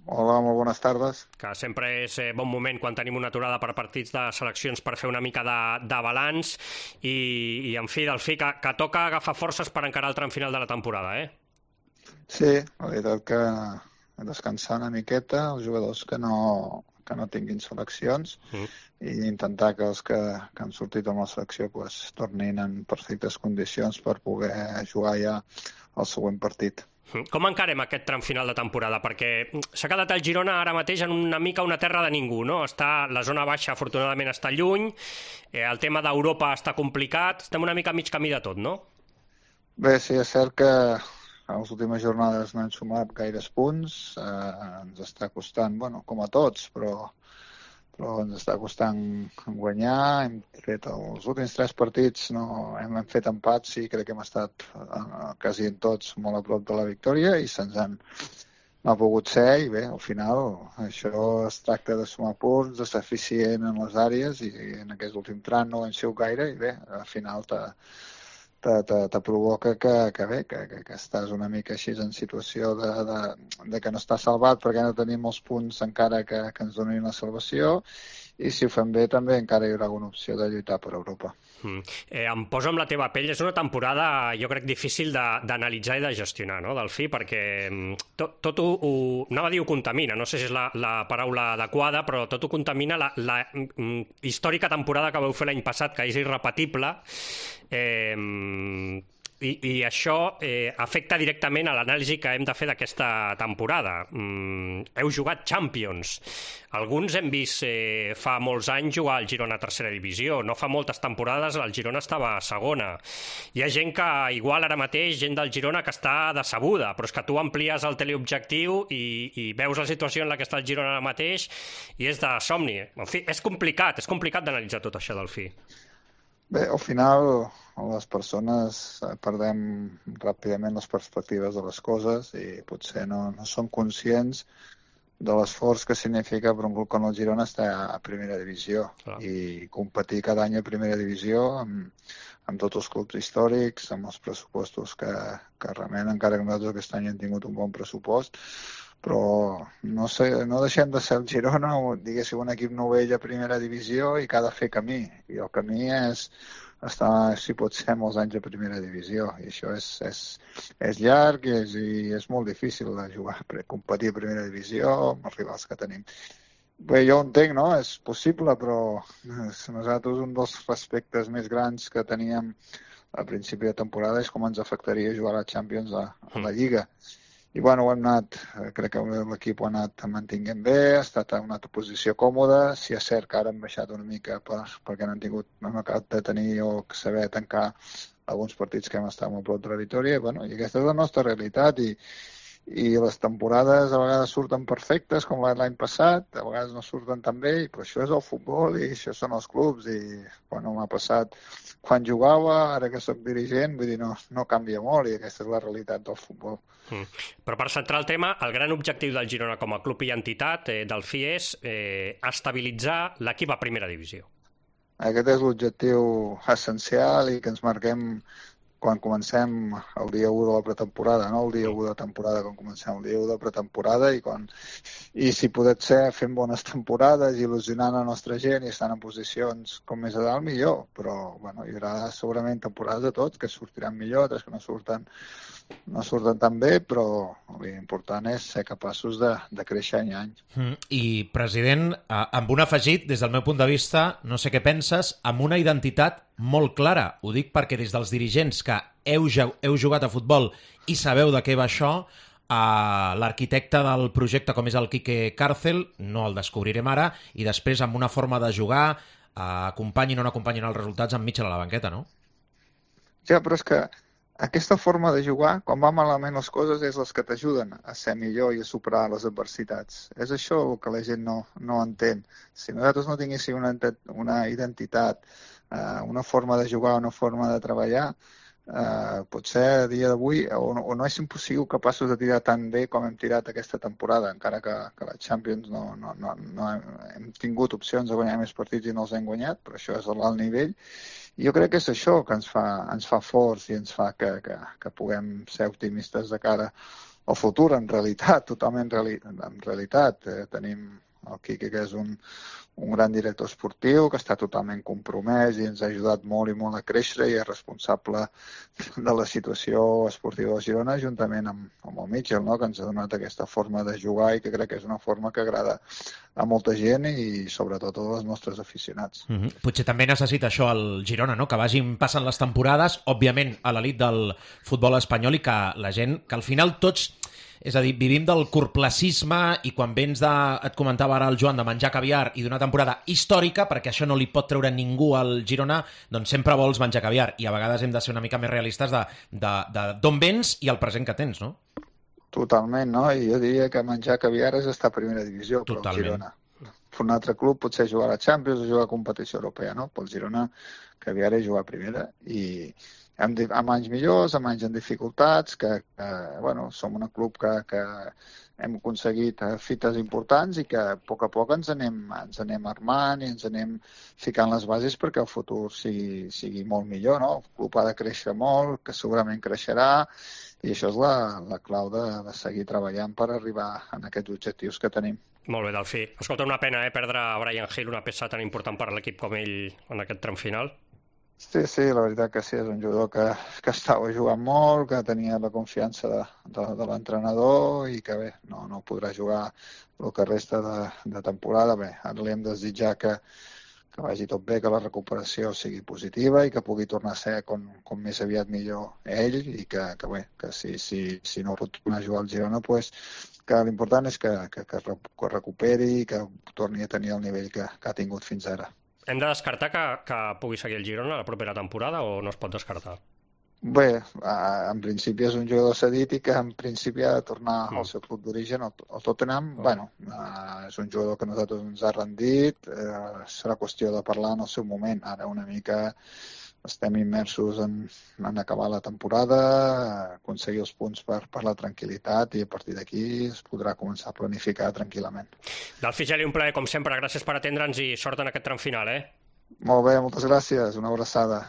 Hola, molt bones tardes. Que sempre és bon moment quan tenim una aturada per partits de seleccions per fer una mica de balanç i en fi, que toca agafar forces per encarar el tram final de la temporada, eh? Sí, la veritat que descansar una miqueta, els jugadors que no tinguin seleccions i intentar que els que han sortit amb la selecció pues, tornin en perfectes condicions per poder jugar ja el següent partit. Com encarem aquest tram final de temporada? Perquè s'ha quedat el Girona ara mateix en una mica una terra de ningú, no? La zona baixa, afortunadament, està lluny, el tema d'Europa està complicat, estem una mica a mig camí de tot, no? Bé, sí, és cert que a les últimes jornades no hem sumat gaires punts, ens està costant, bueno, com a tots, però ens està costant guanyar. Hem fet els últims 3 partits, no hem fet empats i crec que hem estat quasi en tots molt a prop de la victòria i no ha pogut ser i bé, al final això es tracta de sumar punts, de ser eficient en les àrees i en aquest últim tram no hem sigut gaire i bé, al final te provoca que estàs una mica així en situació de que no estàs salvat perquè no tenim els punts encara que ens donin la salvació i si ho fem bé també encara hi haurà alguna opció de lluitar per Europa. Em poso amb la teva pell, és una temporada jo crec difícil d'analitzar i de gestionar, no, Delfí, perquè tot ho anava a dir ho contamina, no sé si és la paraula adequada, però tot ho contamina la històrica temporada que vau fer l'any passat, que és irrepetible, i això afecta directament a l'anàlisi que hem de fer d'aquesta temporada. Heu jugat Champions. Alguns hem vist fa molts anys jugar al Girona a tercera divisió. No fa moltes temporades el Girona estava a segona. Hi ha gent que, igual ara mateix, gent del Girona que està decebuda, però és que tu amplies el teleobjectiu i veus la situació en la que està el Girona ara mateix i és de somni. En fi, és complicat d'analitzar tot això, Delfí. Bé, al final les persones perdem ràpidament les perspectives de les coses i potser no som conscients de l'esforç que significa per un club com el Girona estar a primera divisió i competir cada any a primera divisió amb tots els clubs històrics, amb els pressupostos que realment, encara que nosaltres aquest any hem tingut un bon pressupost, però no deixem de ser el Girona, diguéssim, un equip novell a primera divisió i que ha de fer camí. I el camí és estar, si pot ser, molts anys a primera divisió. I això és llarg i és molt difícil de jugar, competir a primera divisió amb els rivals que tenim. Bé, jo ho entenc, no? És possible, però nosaltres un dels aspectes més grans que teníem a principi de temporada és com ens afectaria jugar a la Champions a la Lliga. I bueno, crec que l'equip ho ha anat mantinguent bé, ha estat en una posició còmoda, si és cert que ara hem baixat una mica perquè no hem acabat de tenir o saber tancar alguns partits que hem estat molt prop de la victòria, i aquesta és la nostra realitat i les temporades a vegades surten perfectes com l'any passat, a vegades no surten tan bé, i això és el futbol i això són els clubs i m'ha passat quan jugava, ara que soc dirigent, vull dir, no canvia molt i aquesta és la realitat del futbol. Però per centrar el tema, el gran objectiu del Girona com a club i entitat del FI és estabilitzar l'equip a primera divisió. Aquest és l'objectiu essencial i que ens marquem quan comencem el dia 1 de la pretemporada, no el dia 1 de temporada, quan comencem el dia 1 de pretemporada i si pot ser fent bones temporades, il·lusionant la nostra gent i estant en posicions com més a dalt, millor. Però hi haurà segurament temporades de tots que sortiran millor, altres que no surten tan bé, però l'important és ser capaços de créixer any a any. I, president, amb un afegit, des del meu punt de vista, no sé què penses, amb una identitat molt clara. Ho dic perquè des dels dirigents que heu jugat a futbol i sabeu de què va això, l'arquitecte del projecte com és el Quique Cárcel, no el descobrirem ara, i després amb una forma de jugar, acompanyin o no acompanyin els resultats amb Mitchell a la banqueta, no? Ja, però és que aquesta forma de jugar, quan van malament les coses, és les que t'ajuden a ser millor i a superar les adversitats. És això el que la gent no entén. Si nosaltres no tinguéssim una identitat, una forma de jugar, una forma de treballar, potser a dia d'avui o no és impossible capaços de tirar tan bé com hem tirat aquesta temporada, encara que la Champions no hem tingut opcions de guanyar més partits i no els hem guanyat, però això és l'alt nivell. I jo crec que és això que ens fa forts i ens fa que puguem ser optimistes de cara el futur, en realitat, totalment en realitat. Tenim el Quique, que és un gran director esportiu, que està totalment compromès i ens ha ajudat molt i molt a créixer i és responsable de la situació esportiva de Girona, juntament amb el Mitchell, no? Que ens ha donat aquesta forma de jugar i que crec que és una forma que agrada a molta gent i sobretot a els nostres aficionats. Potser també necessita això el Girona, no? Que vagin passant les temporades, òbviament a l'elit del futbol espanyol i que la gent, que al final tots... És a dir, vivim del corplacisme i quan vens de, et comentava ara el Joan, de menjar caviar i d'una temporada històrica, perquè això no li pot treure ningú al Girona, doncs sempre vols menjar caviar i a vegades hem de ser una mica més realistes d'on vens i el present que tens, no? Totalment, no? I jo diria que menjar caviar és estar a primera divisió per al Girona. Per un altre club potser jugar a la Champions o jugar a competició europea, no? Pel Girona caviar és jugar a primera i amb anys millors, amb anys en dificultats, que bueno, som un club que hem aconseguit fites importants i que a poc ens anem armant i ens anem ficant les bases perquè el futur sigui molt millor, no? El club ha de créixer molt, que segurament creixerà, i això és la clau de seguir treballant per arribar a aquests objectius que tenim. Molt bé, Delfí. Escolta, una pena perdre a Bryan Gil, una peça tan important per a l'equip com ell en aquest tram final. Sí, la veritat que sí, és un jugador que estava jugant molt, que tenia la confiança de l'entrenador i que bé, no podrà jugar el que resta de temporada. Bé, ara li hem de desitjar que vagi tot bé, que la recuperació sigui positiva i que pugui tornar a ser com més aviat millor ell i que si no pot tornar a jugar al Girona, pues, que l'important és que recuperi i que torni a tenir el nivell que ha tingut fins ara. Hem de descartar que pugui seguir el Girona la propera temporada o no es pot descartar? Bé, en principi és un jugador cedit i que en principi ha de tornar al seu club d'origen, el Tottenham. Bueno, és un jugador que a nosaltres ens ha rendit, serà qüestió de parlar en el seu moment. Ara una mica estem immersos en acabar la temporada, aconseguir els punts per la tranquil·litat i a partir d'aquí es podrà començar a planificar tranquil·lament. Delfí Geli, un plaer com sempre, gràcies per atendre'ns i sort en aquest tram final, Molt bé, moltes gràcies, una abraçada.